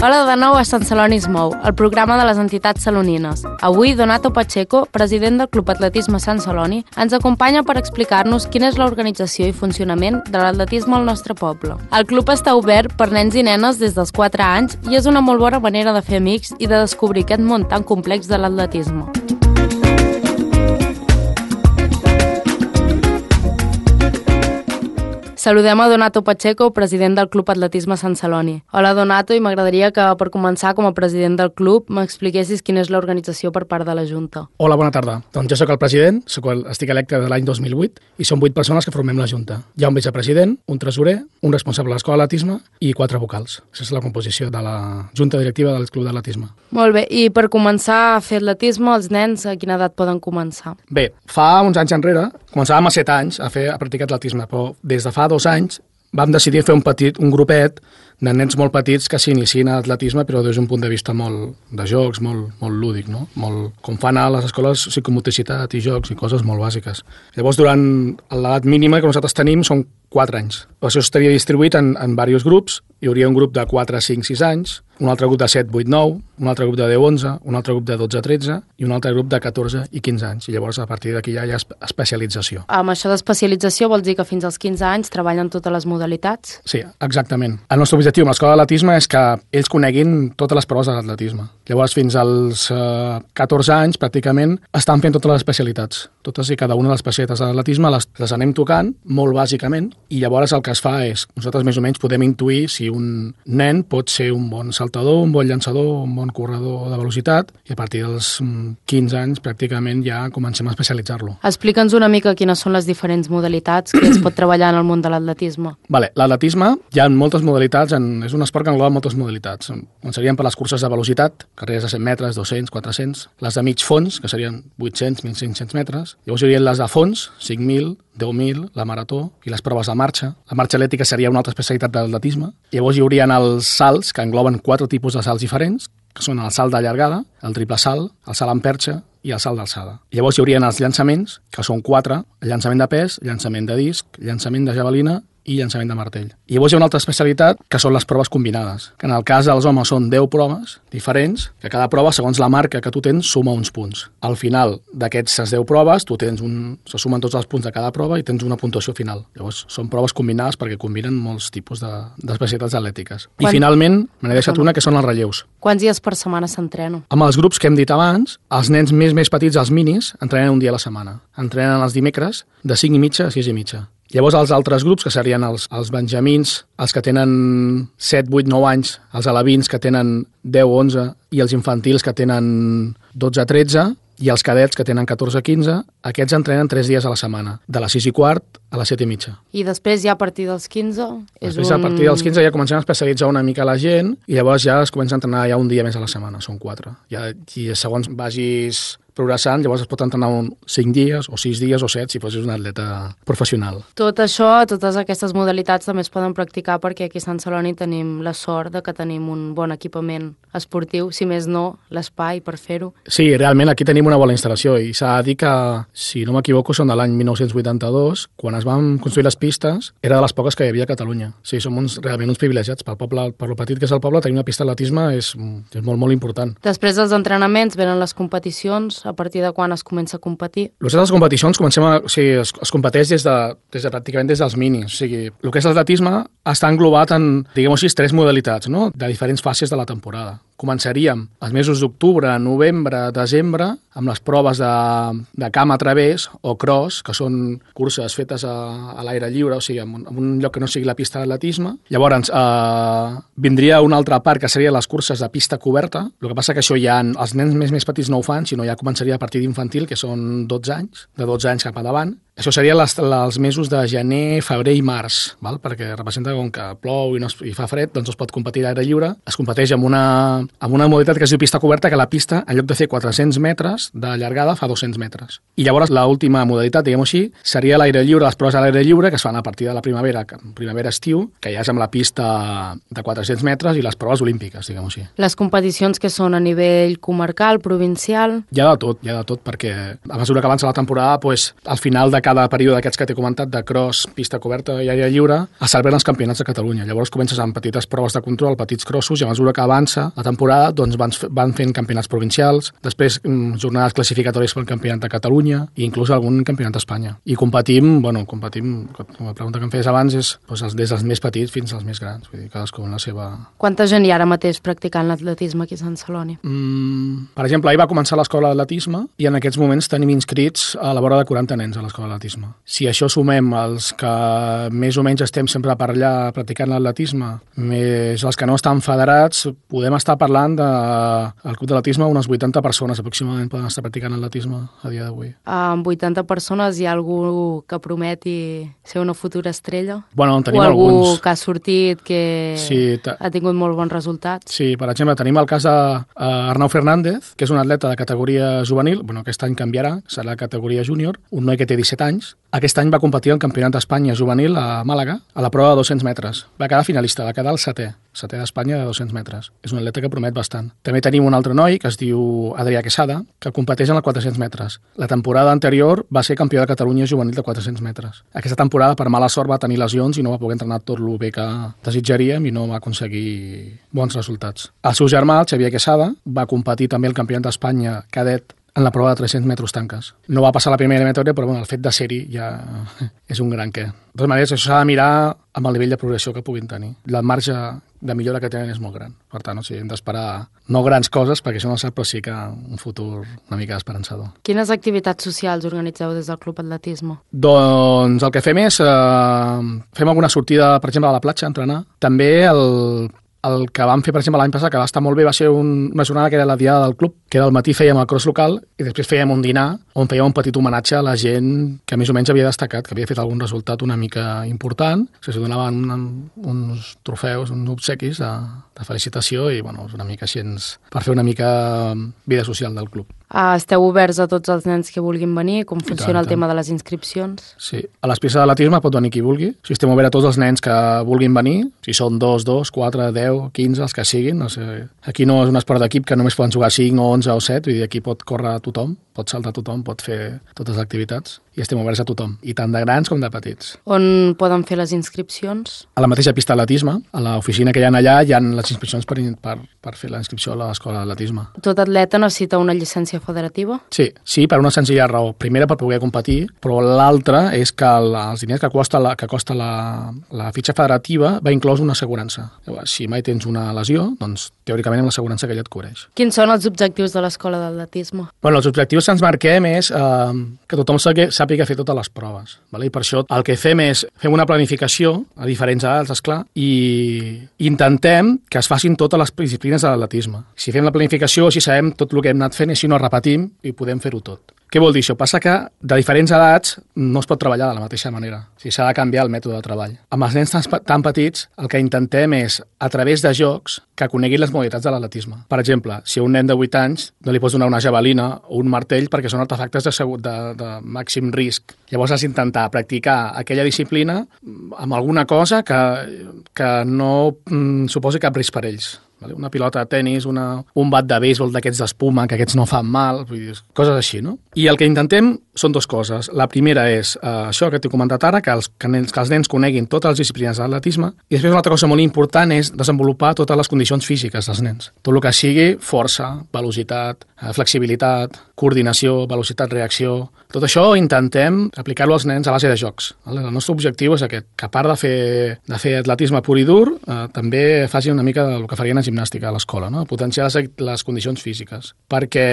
Hola de nou a Sant Celoni es mou, el programa de les entitats salonines. Avui, Donato Pacheco, president del Club Atletisme Sant Celoni, ens acompanya per explicar-nos quina és l'organització i funcionament de l'atletisme al nostre poble. El club està obert per nens i nenes des dels 4 anys i és una molt bona manera de fer amics i de descobrir aquest món tan complex de l'atletisme. Saludem a Donato Pacheco, president del Club Atletisme Sant Celoni. Hola, Donato, i m'agradaria que, per començar, com a president del club, m'expliquessis quina és l'organització per part de la Junta. Hola, bona tarda. Doncs jo sóc el president, estic electe de l'any 2008 i som 8 persones que formem la Junta. Hi ha un vicepresident, un tresorer, un responsable de l'escola d'atletisme i 4 vocals. Aquesta és la composició de la Junta Directiva del Club d'Atletisme. Molt bé, i per començar a fer atletisme, els nens a quina edat poden començar? Bé, fa uns anys enrere, començàvem a 7 anys a practicar atletisme, però des de fa 2 anys vam decidir fer un grupet de nens molt petits que s'iniciïn a atletisme, però des d'un punt de vista molt de jocs, molt lúdic, no? Com fan a les escoles psicomotricitat i jocs i coses molt bàsiques. Llavors, durant l'edat mínima que nosaltres tenim són 4 anys. Això estaria distribuït en diversos grups. Hi hauria un grup de 4, 5, 6 anys, un altre grup de 7, 8, 9, un altre grup de 10, 11, un altre grup de 12, 13 i un altre grup de 14 i 15 anys. I llavors, a partir d'aquí ja hi ha especialització. Amb això d'especialització vols dir que fins als 15 anys treballen totes les modalitats? Sí, exactament. El nostre objectiu amb l'escola d'atletisme és que ells coneguin totes les proves de l'atletisme. Llavors, fins als 14 anys, pràcticament, estan fent totes les especialitats. Totes i cada una de les especialitats de l'atletisme les anem tocant, molt bàsicament, i llavors el que es fa és, nosaltres més o menys podem intuir si un nen pot ser un bon saltador, un bon llançador, un bon corredor de velocitat, i a partir dels 15 anys, pràcticament, ja comencem a especialitzar-lo. Explica'ns una mica quines són les diferents modalitats que es pot treballar en el món de l'atletisme. L'atletisme, hi ha moltes modalitats, és un esport que engloba moltes modalitats. Començaríem per les curses de velocitat, carreres de 100 metres, 200, 400, les de mig fons, que serien 800, 1.500 metres, llavors hi haurien les de fons, 5.000, 10.000, la marató i les proves de marxa. La marxa atlètica seria una altra especialitat de l'atletisme. Llavors hi haurien els salts, que engloben 4 tipus de salts diferents, que són el salt de llargada, el triple salt, el salt en perxa i el salt d'alçada. Llavors hi haurien els llançaments, que són 4, el llançament de pes, llançament de disc, llançament de javelina i llançament de martell. I llavors hi ha una altra especialitat, que són les proves combinades, que en el cas dels homes són 10 proves diferents, que cada prova, segons la marca que tu tens, suma uns punts. Al final d'aquestes 10 proves, se sumen tots els punts de cada prova i tens una puntuació final. Llavors, són proves combinades perquè combinen molts tipus d'especialitats atlètiques. I finalment, me n'he deixat una, que són els relleus. Quants dies per setmana s'entrena? Amb els grups que hem dit abans, els nens més petits, els minis, entrenen un dia a la setmana. Entrenen els dimecres de 5:30 a 6:30. Llavors, els altres grups, que serien els benjamins, els que tenen 7, 8, 9 anys, els alevins, que tenen 10, 11, i els infantils, que tenen 12, 13, i els cadets, que tenen 14, 15, aquests entrenen 3 dies a la setmana, de les 6:15 a les 7:30. I després, ja a partir dels 15... A partir dels 15 ja comencem a especialitzar una mica la gent i llavors ja es comença a entrenar ja un dia més a la setmana, són 4. I segons vagis progressant, llavors es pot entrenar 5 dies o 6 dies o 7 si fossis un atleta professional. Tot això, totes aquestes modalitats també es poden practicar perquè aquí a Sant Celoni tenim la sort de que tenim un bon equipament esportiu, si més no, l'espai per fer-ho. Sí, realment aquí tenim una bona instal·lació i s'ha de dir que, si no m'equivoco, són de l'any 1982, quan es van construir les pistes, era de les poques que hi havia a Catalunya. Sí, som realment uns privilegiats. Pel poble, per lo petit que és el poble, tenir una pista d'atletisme és molt, molt important. Després dels entrenaments venen les competicions. A partir de quan es comença a competir? Les competicions es competeix pràcticament des dels minis. O sigui, el que és l'atletisme està englobat en, diguem-ho així, 3 modalitats, no?, de diferents fases de la temporada. Començaríem els mesos d'octubre, novembre, desembre, amb les proves de camp a través o cross, que són curses fetes a l'aire lliure, o sigui, en un lloc que no sigui la pista d'atletisme. Llavors, vindria una altra part, que serien les curses de pista coberta. El que passa que això ja els nens més petits no ho fan, sinó ja començaria a partir d'infantil, que són 12 anys, de 12 anys cap endavant. Això serien els mesos de gener, febrer i març, val? Perquè representa com que plou i fa fred, doncs es pot competir a l'aire lliure. Es competeix amb una modalitat que es diu pista coberta, que la pista, en lloc de fer 400 metres de llargada, fa 200 metres. I llavors l'última modalitat, diguem-ho així, seria l'aire lliure, les proves a l'aire lliure, que es fan a partir de la primavera-estiu, que ja és amb la pista de 400 metres i les proves olímpiques, diguem-ho així. Les competicions que són a nivell comarcal, provincial? Hi ha de tot, perquè a mesura que avança la temporada, al final cada període d'aquests que t'he comentat, de cross, pista coberta i aire lliure, es celebren els campionats de Catalunya. Llavors comences amb petites proves de control, petits crossos, i a mesura que avança la temporada doncs van fent campionats provincials, després jornades classificatòries pel campionat de Catalunya i inclús algun campionat d'Espanya. I competim, com la pregunta que em feies abans, és des dels més petits fins als més grans, vull dir, cadascú en la seva... Quanta gent hi ha ara mateix practicant l'atletisme aquí a Sant Celoni? Per exemple, ahir va començar l'escola d'atletisme i en aquests moments tenim inscrits a la vora de 40 nens a l'escola d'atletisme. Si això sumem els que més o menys estem sempre per allà practicant l'atletisme, més els que no estan federats, podem estar parlant del club d'atletisme unes 80 persones aproximadament poden estar practicant l'atletisme a dia d'avui. Amb 80 persones hi ha algú que prometi ser una futura estrella? Bueno, en tenim o algú alguns que ha sortit que ha tingut molt bons resultats? Sí, per exemple, tenim el cas d'Arnau Fernández, que és un atleta de categoria juvenil, aquest any canviarà, serà la categoria júnior, un noi que té 17 anys. Aquest any va competir al Campionat d'Espanya juvenil a Màlaga, a la prova de 200 metres. Va quedar finalista, va quedar el setè d'Espanya de 200 metres. És un atleta que promet bastant. També tenim un altre noi que es diu Adrià Quesada, que competeix en els 400 metres. La temporada anterior va ser campió de Catalunya juvenil de 400 metres. Aquesta temporada, per mala sort, va tenir lesions i no va poder entrenar tot el bé que desitjaríem i no va aconseguir bons resultats. El seu germà, el Xavier Quesada, va competir també al Campionat d'Espanya cadet en la prova de 300 metres tanques. No va passar la primera eliminatòria, però el fet de ser-hi ja és un gran què. De totes maneres, això s'ha de mirar amb el nivell de progressió que puguin tenir. La marge de millora que tenen és molt gran. Per tant, hem d'esperar no grans coses, perquè això no sap, però sí que un futur una mica esperançador. Quines activitats socials organitzeu des del Club Atletisme? Doncs el que fem és fem alguna sortida, per exemple, a la platja, a entrenar. També el que vam fer, per exemple, l'any passat, que va estar molt bé, va ser una jornada que era la diada del club, que al matí fèiem el cross local i després fèiem un dinar on fèiem un petit homenatge a la gent que més o menys havia destacat, que havia fet algun resultat una mica important, que s'hi donaven uns trofeus, uns obsequis de felicitació i una mica així per fer una mica vida social del club. Esteu oberts a tots els nens que vulguin venir? Com funciona el tema de les inscripcions? Sí, a les pistes d'atletisme pot venir qui vulgui. Estem oberts a tots els nens que vulguin venir, si són 2, 4, 10, 15, els que siguin. Aquí no és un esport d'equip que només poden jugar 5 o 11 o 7, vull dir, aquí pot córrer tothom, pot saltar tothom, pot fer totes les activitats i estem oberts a tothom, i tant de grans com de petits. On poden fer les inscripcions? A la mateixa pista d'atletisme, a l'oficina que hi ha allà, hi ha les inscripcions per fer la inscripció a l'escola d'atletisme. Tot atleta necessita una llicència federativa? Sí, per una senzilla raó. Primera, per poder competir, però l'altra és que els diners que costa la fitxa federativa va inclòs una assegurança. Si mai tens una lesió, doncs teòricament amb l'assegurança que ella et cobreix. Quins són els objectius de l'escola d'atletisme? Els objectius que ens marquem és que tothom sàpiga fer totes les proves. I per això el que fem és fem una planificació a diferents edats, esclar, i intentem que es facin totes les disciplines de l'atletisme. Si fem la planificació, així sabem tot el que hem anat fent i així no repetim i podem fer-ho tot. Què vol dir això? Passa que de diferents edats no es pot treballar de la mateixa manera. S'ha de canviar el mètode de treball. Amb els nens tan petits, el que intentem és, a través de jocs, que coneguin les modalitats de l'atletisme. Per exemple, si a un nen de 8 anys no li pots donar una javelina o un martell perquè són artefactes de màxim risc. Llavors has d'intentar practicar aquella disciplina amb alguna cosa que no suposi cap risc per ells. Una pilota de tenis, un bat de béisbol d'aquests d'espuma, que aquests no fan mal, coses així, no? I el que intentem són dues coses. La primera és això que t'he comentat ara, que els nens coneguin totes les disciplines de l'atletisme, i després una altra cosa molt important és desenvolupar totes les condicions físiques dels nens. Tot el que sigui força, velocitat, flexibilitat, coordinació, velocitat-reacció. Tot això intentem aplicar-lo als nens a base de jocs. El nostre objectiu és aquest, que a part de fer atletisme pur i dur, també faci una mica del que farien a gimnàstica a l'escola, no? Potenciar les condicions físiques. Perquè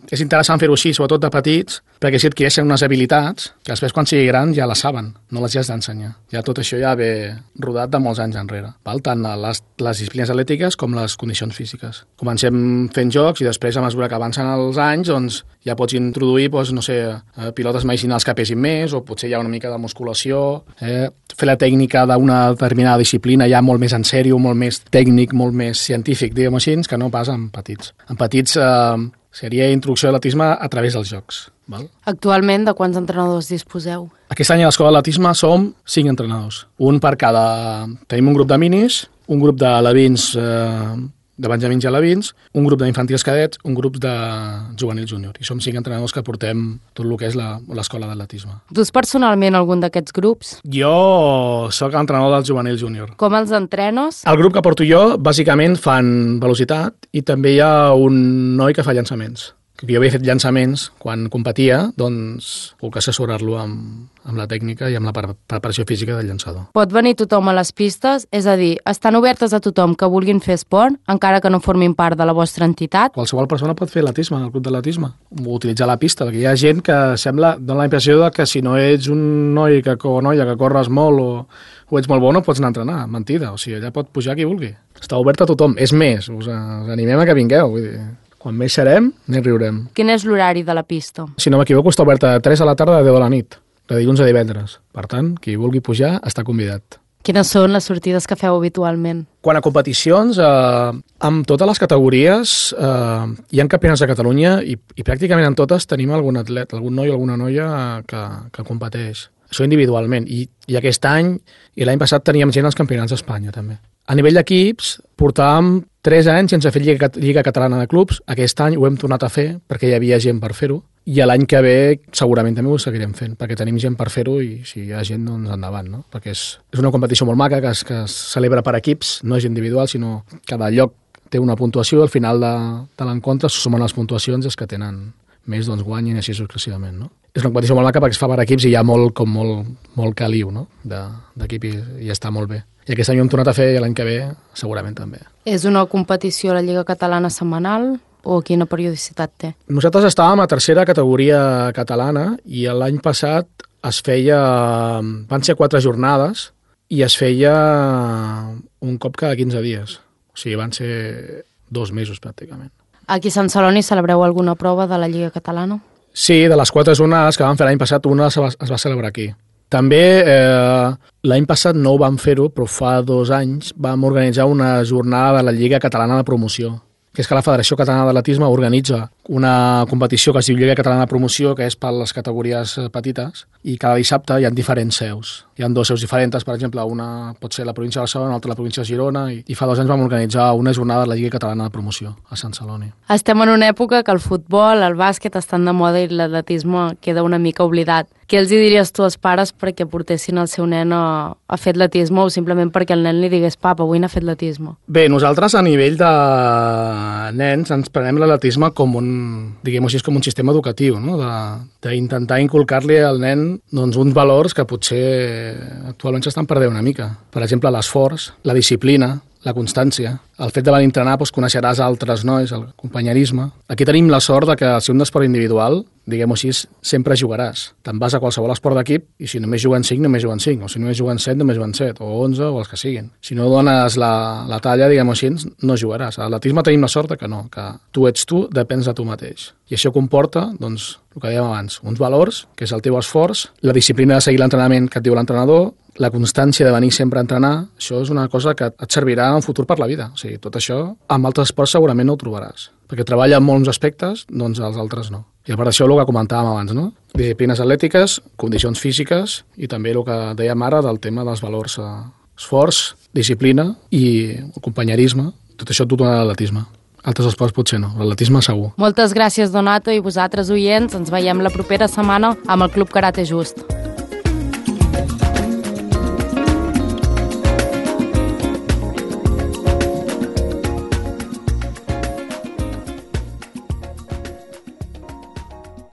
és interessant fer-ho així, sobretot de petits, perquè si adquireixen unes habilitats que després quan sigui gran ja les saben, no les has d'ensenyar. Ja tot això ja ve rodat de molts anys enrere. Tant les disciplines atlètiques com les condicions físiques. Comencem fent jocs i després, a mesura que avancen els anys, doncs ja pots introduir, pilotes medicinals que pesin més, o potser hi ha una mica de musculació, fer la tècnica d'una determinada disciplina ja molt més en sèrio, molt més tècnic, molt més científic, diguem així, que no pas en petits. En petits seria introducció a l'atletisme a través dels jocs. Val? Actualment, de quants entrenadors disposeu? Aquest any a l'escola d'atletisme som 5 entrenadors. Un per cada... Tenim un grup de minis, un grup de alevins de benjamins i alevins, un grup d'infantils cadets, un grup de juvenil júnior. I som 5 entrenadors que portem tot el que és l'escola d'atletisme. Dus personalment algun d'aquests grups? Jo sóc l'entrenador del juvenil júnior. Com els entrenes? El grup que porto jo, bàsicament, fan velocitat i també hi ha un noi que fa llançaments. Jo havia fet llançaments quan competia, doncs puc assessorar-lo amb la tècnica i amb la preparació física del llançador. Pot venir tothom a les pistes? És a dir, estan obertes a tothom que vulguin fer esport, encara que no formin part de la vostra entitat? Qualsevol persona pot fer atletisme, el club d'atletisme, o utilitzar la pista, perquè hi ha gent que dona la impressió de que si no ets un noi o noia que corres molt o ets molt bo no pots anar a entrenar. Mentida, o sigui, allà pot pujar qui vulgui. Està obert a tothom. És més, us animem a que vingueu, vull dir... Quan més serem, més riurem. Quin és l'horari de la pista? Si no m'equivoco, està oberta de 3 a la tarda a 10 de la nit, de dilluns a divendres. Per tant, qui vulgui pujar està convidat. Quines són les sortides que feu habitualment? Quant a competicions, amb totes les categories hi ha campionats de Catalunya i pràcticament en totes tenim algun atlet, algun noi o alguna noia que competeix. Això individualment. I aquest any i l'any passat teníem gent als campionats d'Espanya, també. A nivell d'equips, portàvem 3 anys sense fer Lliga Catalana de Clubs. Aquest any ho hem tornat a fer perquè hi havia gent per fer-ho. I l'any que ve segurament també ho seguirem fent, perquè tenim gent per fer-ho i si hi ha gent, doncs endavant, no? Perquè és una competició molt maca que es celebra per equips, no és individual, sinó cada lloc té una puntuació, al final de l'encontre se sumen les puntuacions i els que tenen més doncs guanyen i així successivament, no? És una competició molt maca perquè es fa per equips i hi ha molt caliu, no? D'equip i està molt bé. I aquest any ho hem tornat a fer i l'any que ve segurament també. És una competició a la Lliga Catalana setmanal o quina periodicitat té? Nosaltres estàvem a tercera categoria catalana i l'any passat van ser 4 jornades i es feia un cop cada 15 dies. O sigui, van ser 2 mesos pràcticament. Aquí a Sant Celoni celebreu alguna prova de la Lliga Catalana? Sí, de les 4 jornades que vam fer l'any passat, una es va celebrar aquí. També l'any passat no ho vam fer-ho, però fa 2 anys vam organitzar una jornada de la Lliga Catalana de Promoció, que és que la Federació Catalana d'Atletisme organitza una competició que es diu Lliga Catalana de Promoció, que és per les categories petites, i cada dissabte hi ha diferents seus. Hi ha 2 seus diferents, per exemple, una pot ser la província de Barcelona, l'altra la província de Girona, i fa 2 anys vam organitzar una jornada de la Lliga Catalana de Promoció a Sant Celoni. Estem en una època que el futbol, el bàsquet estan de moda i l'atletisme queda una mica oblidat. Què els diries tu als pares perquè portessin el seu nen a fer atletisme o simplement perquè el nen li digués papa, avui n'ha fet atletisme? Bé, nosaltres a nivell de nens ens prenem l'atletisme com com un sistema educatiu, no? D'intentar inculcar-li al nen doncs, uns valors que potser actualment s'estan perdent una mica. Per exemple, l'esforç, la disciplina, la constància. El fet de venir a entrenar doncs, coneixeràs altres nois, el companyerisme. Aquí tenim la sort de que si un esport individual, diguem-ho així, sempre jugaràs. Te'n vas a qualsevol esport d'equip i si només juguen 5, només juguen 5. O si només juguen 7, només juguen 7. O 11, o els que siguin. Si no dones la talla, diguem-ho així, no jugaràs. A l'atletisme tenim la sort de que no, que tu ets tu, depens de tu mateix. I això comporta, doncs, el que dèiem abans, uns valors, que és el teu esforç, la disciplina de seguir l'entrenament que et diu l'entrenador, la constància de venir sempre a entrenar, això és una cosa que et servirà en futur per la vida. O sigui, tot això, amb altres esports segurament no ho trobaràs. Perquè treballa en molts aspectes, doncs els altres no. I per això el que comentàvem abans, no? Disciplines atlètiques, condicions físiques i també el que dèiem ara del tema dels valors esforç, disciplina i companyerisme. Tot això tot dona l'atletisme. Altres esports potser no, l'atletisme segur. Moltes gràcies, Donato, i vosaltres, oients, ens veiem la propera setmana amb el Club Karate Just.